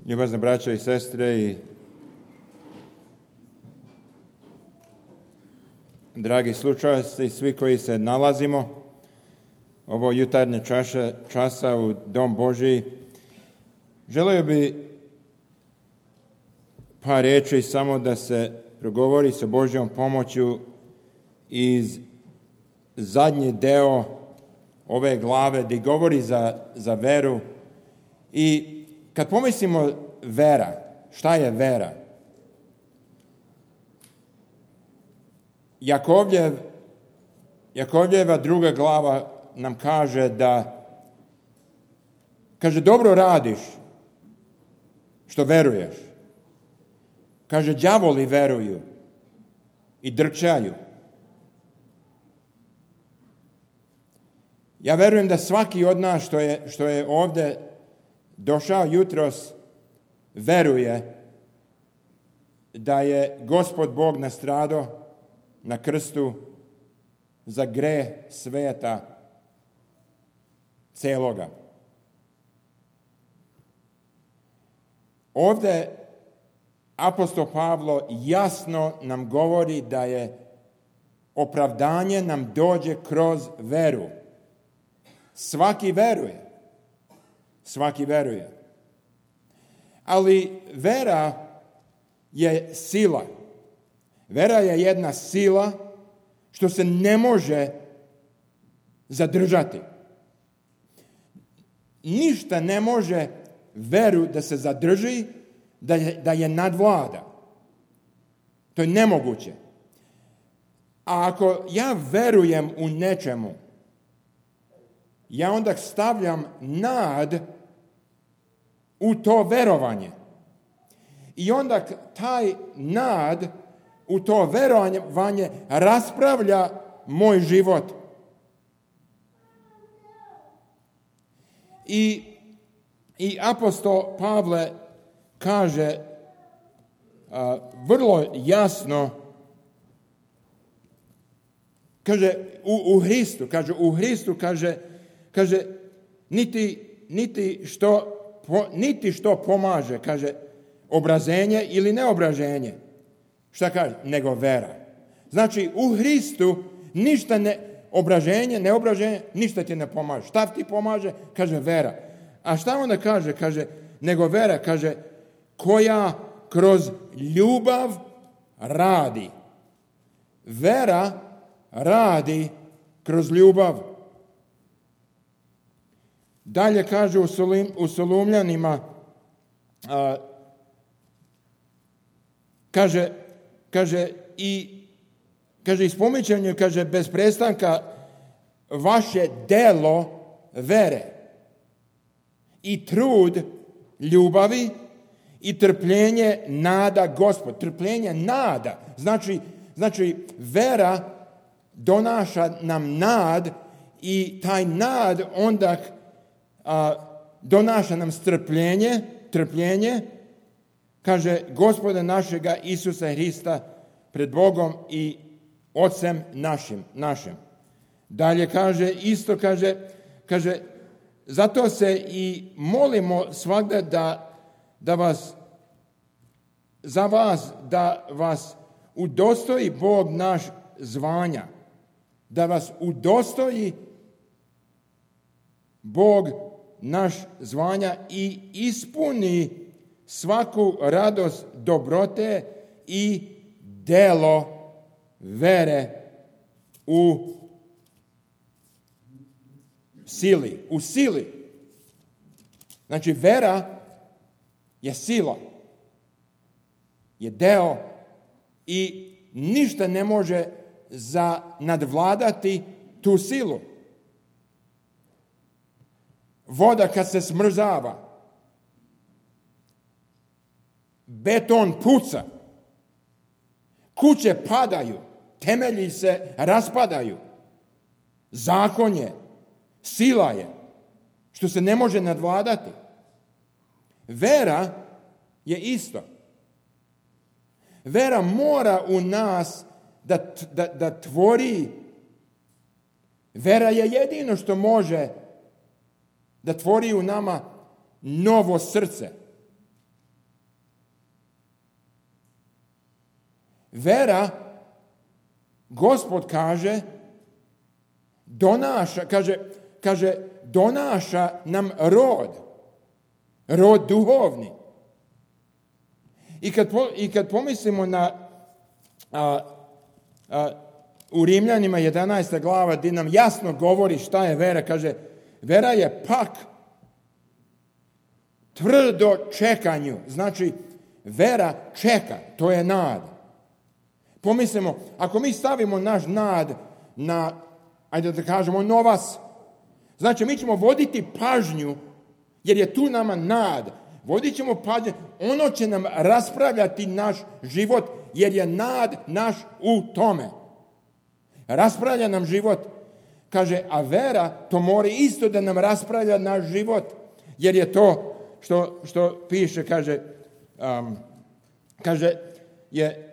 Ljubazne braćo i sestre i dragi slušalci, svi koji se nalazimo ovo jutarnje časa u Dom Božji, želio bi par riječi samo da se progovori sa Božjom pomoću iz zadnji deo ove glave gdje govori za veru. I kad pomislimo vera, šta je vera? Jakovljeva druga glava nam kaže dobro radiš što veruješ. Kaže, đavoli veruju i drčaju. Ja verujem da svaki od nas što je ovdje došao jutros veruje da je Gospod Bog nastradao na krstu za greh sveta celoga. Ovdje apostol Pavlo jasno nam govori da je opravdanje nam dođe kroz veru. Svaki veruje. Ali vera je sila. Vera je jedna sila što se ne može zadržati. Ništa ne može veru da se zadrži, da je nadvlada. To je nemoguće. A ako ja verujem u nečemu, ja onda stavljam nad u to verovanje. I onda taj nad u to verovanje raspravlja moj život. I apostol Pavle kaže vrlo jasno, kaže u Hristu, kaže niti što pomaže, kaže obraženje ili neobraženje. Šta kaže? Nego vera. Znači u Hristu ništa obraženje, neobraženje, ništa ti ne pomaže. Šta ti pomaže? Kaže vera. A šta onda kaže? Kaže, nego vera, kaže, koja kroz ljubav radi. Vera radi kroz ljubav. Dalje kaže u Solunjanima, kaže ispominjanje, kaže bez prestanka vaše delo vere i trud ljubavi i trpljenje nada Gospod. Trpljenje nada. Znači vera donaša nam nad i taj nad onda donaša nam trpljenje, kaže Gospoda našega Isusa Hrista pred Bogom i Otcem našim. Dalje kaže, zato se i molimo svagda da vas udostoji Bog naš zvanja, da vas udostoji Bog naš zvanja i ispuni svaku radost dobrote i delo vere u sili. Znači vera je sila, je deo i ništa ne može nadvladati tu silu. Voda kad se smrzava, beton puca, kuće padaju, temelji se raspadaju. Zakon je, sila je, što se ne može nadvladati. Vera je isto. Vera mora u nas da tvori. Vera je jedino što može da tvori u nama novo srce. vera, Gospod kaže, donaša nam rod duhovni. I kad pomislimo na u Rimljanima 11. glava gdje nam jasno govori šta je vera, kaže, vera je pak tvrdo čekanju. Znači, vera čeka, to je nada. Pomislimo, ako mi stavimo naš nad na, ajde da kažemo, novas, znači mi ćemo voditi pažnju, jer je tu nama nad. Vodit ćemo pažnju, ono će nam raspravljati naš život, jer je nad naš u tome. Raspravlja nam život. Kaže, a vera, to mora isto da nam raspravlja naš život, jer je to što piše, kaže, je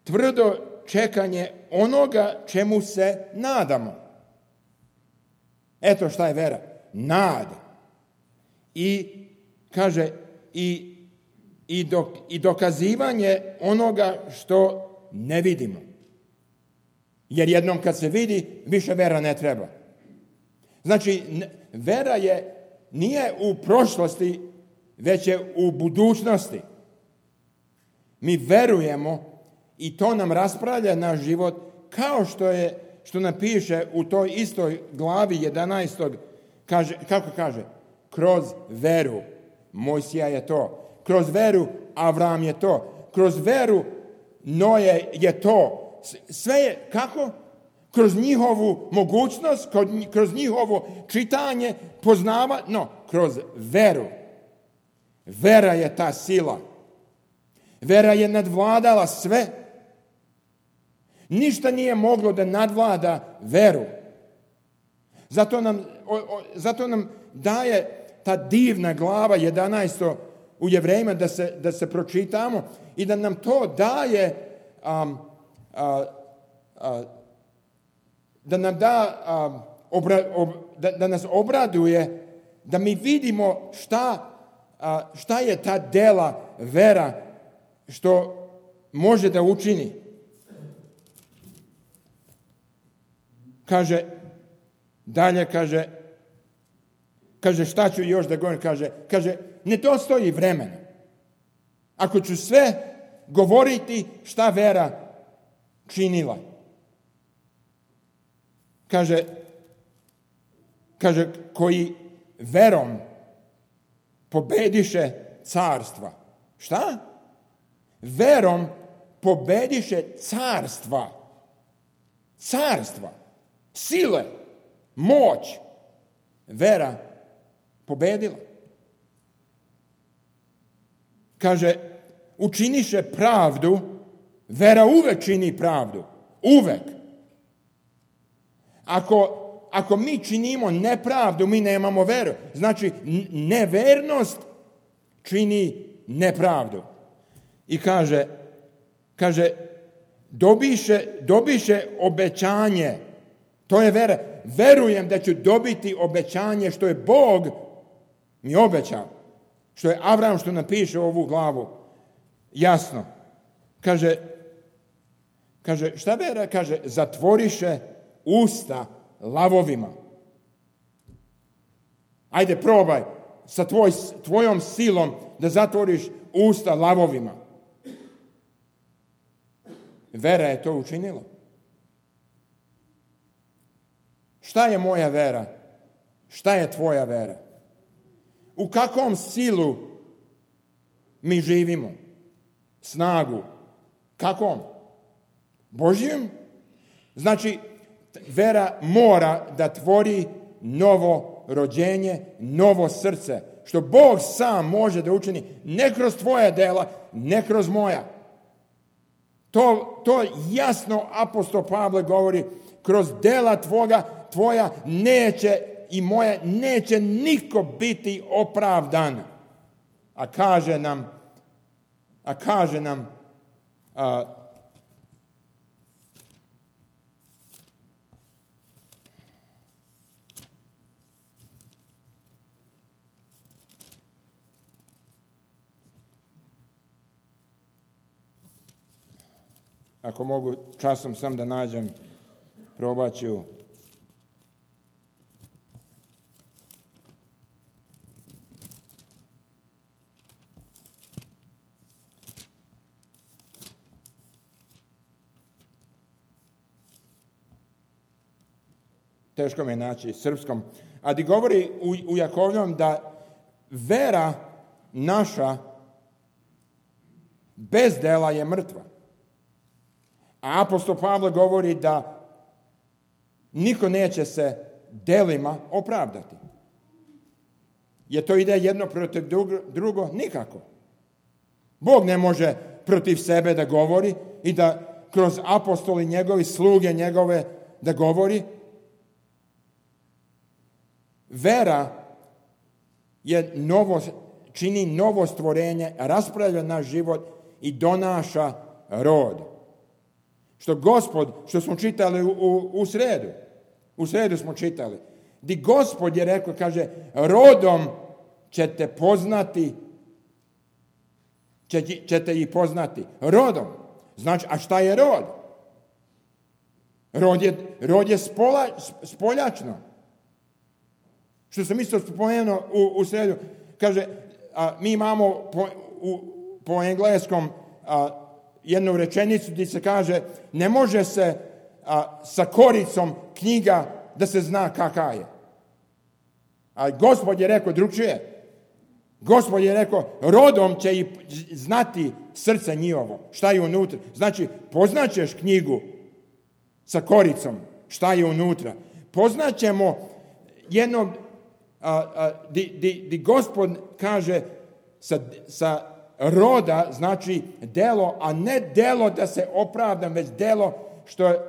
tvrdo čekanje onoga čemu se nadamo. Eto šta je vera. Nada. I kaže, i dokazivanje onoga što ne vidimo. Jer jednom kad se vidi, više vera ne treba. Znači, vera nije u prošlosti, već je u budućnosti. Mi verujemo i to nam raspravlja naš život, kao što nam piše u toj istoj glavi 11. Kako kaže? Kroz veru. Mojsija je to. Kroz veru Avram je to. Kroz veru Noje je to. Sve je kako? Kroz njihovu mogućnost, kroz njihovo čitanje, kroz veru. Vera je ta sila. Vera je nadvladala sve. Ništa nije moglo da nadvlada veru. Zato nam daje ta divna glava 11. u Jevrejima da se pročitamo i da nam to daje da nam da nas obraduje, da mi vidimo šta je ta dela vera što može da učini. Kaže, šta ću još da govorim? Kaže, ne dostoji vremena. Ako ću sve govoriti šta vera činila. Kaže, koji verom pobediše carstva. Šta? Verom pobediše carstva. Carstva. Sile. Moć. Vera pobedila. Kaže, učiniše pravdu. Vera uvek čini pravdu. Uvek. Ako mi činimo nepravdu, mi nemamo veru. Znači, nevernost čini nepravdu. I kaže, dobiše obećanje. To je vera. Verujem da ću dobiti obećanje što je Bog mi obećao. Što je Avram, što napiše ovu glavu. Jasno. Kaže, šta vera? Kaže, zatvoriše usta lavovima. Ajde, probaj sa tvojom silom da zatvoriš usta lavovima. Vera je to učinila. Šta je moja vera? Šta je tvoja vera? U kakvom silu mi živimo? Snagu. Kakvom? Božjim? Znači, vera mora da tvori novo rođenje, novo srce, što Bog sam može da učini, ne kroz tvoja dela, ne kroz moja. To jasno apostol Pavle govori, kroz dela tvoja neće i moja neće niko biti opravdan. A kaže nam ako mogu časom sam da nađem, probat ću. Teško me naći srpskom. A di govori u Jakovljevom da vera naša bez dela je mrtva. A apostol Pavle govori da niko neće se delima opravdati. Je to ide jedno protiv drugo? Nikako. Bog ne može protiv sebe da govori i da kroz apostoli njegovi, sluge njegove da govori. Vera čini novo stvorenje, raspravlja naš život i donaša rod. Što Gospod, što smo čitali u sredu smo čitali, di Gospod je rekao, kaže, rodom ćete poznati, ćete ih poznati. Rodom. Znači, a šta je rod? Rod je spoljačno. Što sam isto spomenuo u sredu, kaže, mi imamo po engleskom jednu rečenicu gdje se kaže, ne može se sa koricom knjiga da se zna kakva je. A Gospod je rekao drugčije. Gospod je rekao, rodom će i znati srce njihovo, šta je unutra. Znači, poznaćeš knjigu sa koricom, šta je unutra. Poznaćemo jednog di Gospod kaže sa roda, znači delo, a ne delo da se opravdam, već delo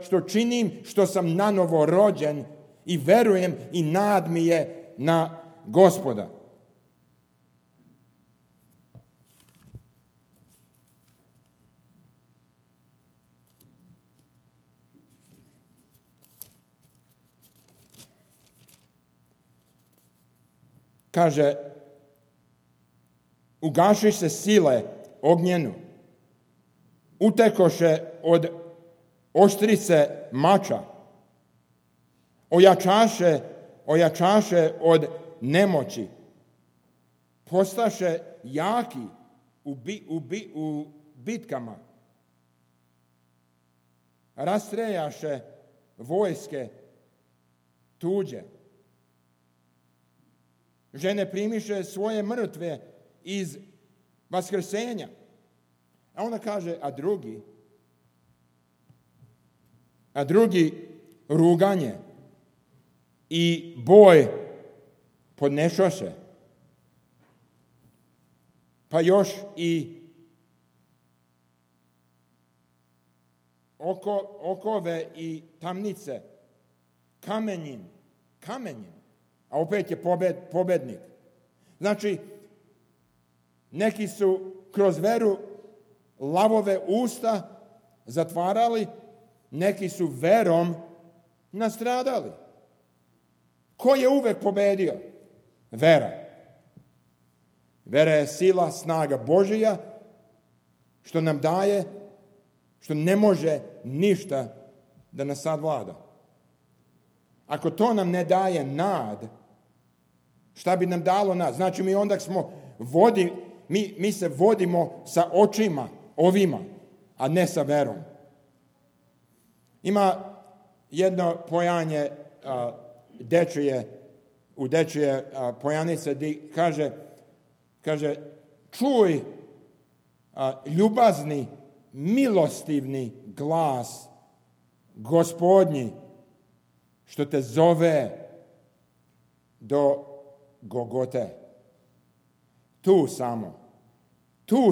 što činim, što sam nanovo rođen i verujem i nad mi je na Gospoda. Kaže, ugaši se sile ognjenu, utekoše od oštrice mača, ojačaše od nemoći, postaše jaki u bitkama, rastrejaše vojske tuđe. Žene primiše svoje mrtve iz vaskrsenja. A ona kaže, a drugi ruganje i boj podnešoše. Pa još i okove i tamnice kamenjem. A opet je pobednik. Znači, neki su kroz veru lavove usta zatvarali, neki su verom nastradali. Ko je uvek pobedio? Vera. Vera je sila, snaga Božija, što nam daje, što ne može ništa da nas savlada. Ako to nam ne daje nad, šta bi nam dalo nad? Znači mi onda mi se vodimo sa očima ovima, a ne sa verom. Ima jedno pojanje u dečije pojanice gdje kaže čuj ljubazni, milostivni glas Gospodnji što te zove do Gogote. Tu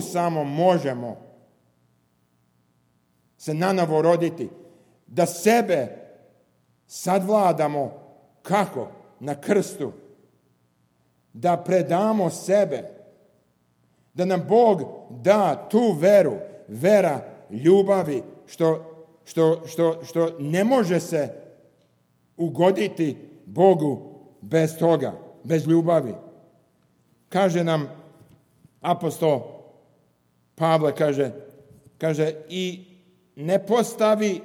samo možemo se nanovo roditi, da sebe sadvladamo kako? Na krstu. Da predamo sebe. Da nam Bog da tu veru, vera ljubavi, što ne može se ugoditi Bogu bez toga, bez ljubavi. Kaže nam apostol Pavle, kaže i ne postavi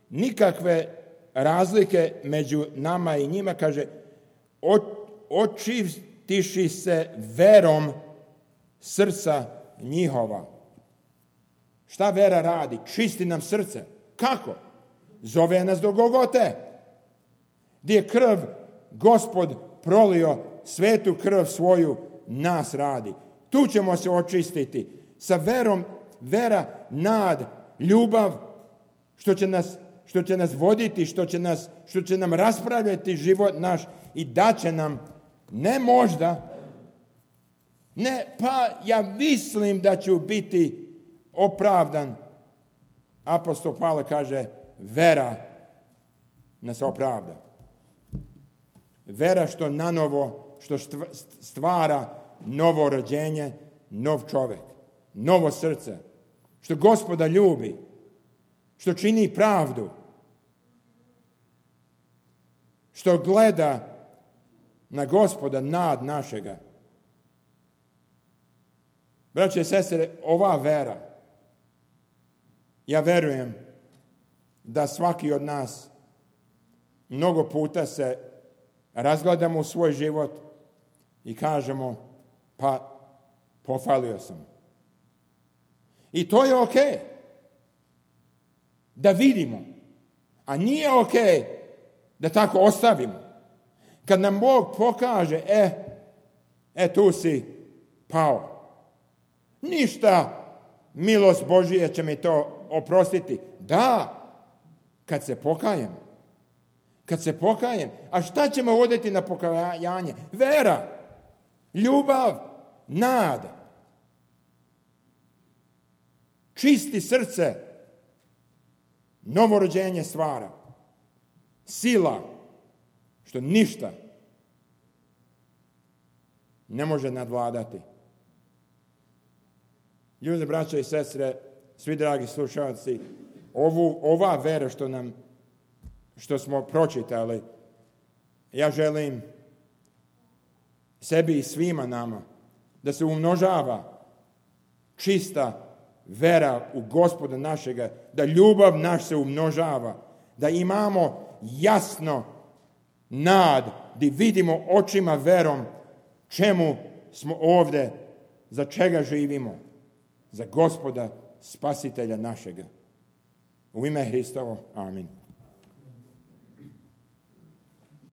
nikakve razlike među nama i njima, kaže, očistiši se verom srca njihova. Šta vera radi? Čisti nam srce. Kako? Zove nas do Golgote, gdje je krv Gospod prolio, svetu krv svoju nas radi. Tu ćemo se očistiti sa verom, vera, nad, ljubav, što će nas voditi, što će nam raspravljati život naš i daće nam, ne možda, ne, pa ja mislim da ću biti opravdan. Apostol Pavle kaže, vera nas opravda. Vera što nanovo, što stvara novo rođenje, nov čovjek, novo srce, što Gospoda ljubi, što čini pravdu, što gleda na Gospoda nad našega. Braće i sestre, ova vera, ja verujem da svaki od nas mnogo puta se razgledamo u svoj život i kažemo, pa pofalio sam. I to je okej. Da vidimo. A nije okej da tako ostavimo. Kad nam Bog pokaže, tu si pao. Ništa, milost Božija će mi to oprostiti. Da, kad se pokajem. Kad se pokajem. A šta ćemo voditi na pokajanje? Vera, ljubav, nada. Čisti srce, novorođenje stvara. Sila, što ništa ne može nadvladati. Ljudi, braća i sestre, svi dragi slušalci, ova vera što smo pročitali, ja želim sebi i svima nama da se umnožava čista vera u Gospoda našega, da ljubav naš se umnožava, da imamo jasno nad, da vidimo očima verom čemu smo ovdje, za čega živimo, za Gospoda Spasitelja našega. U ime Hristovo, amin.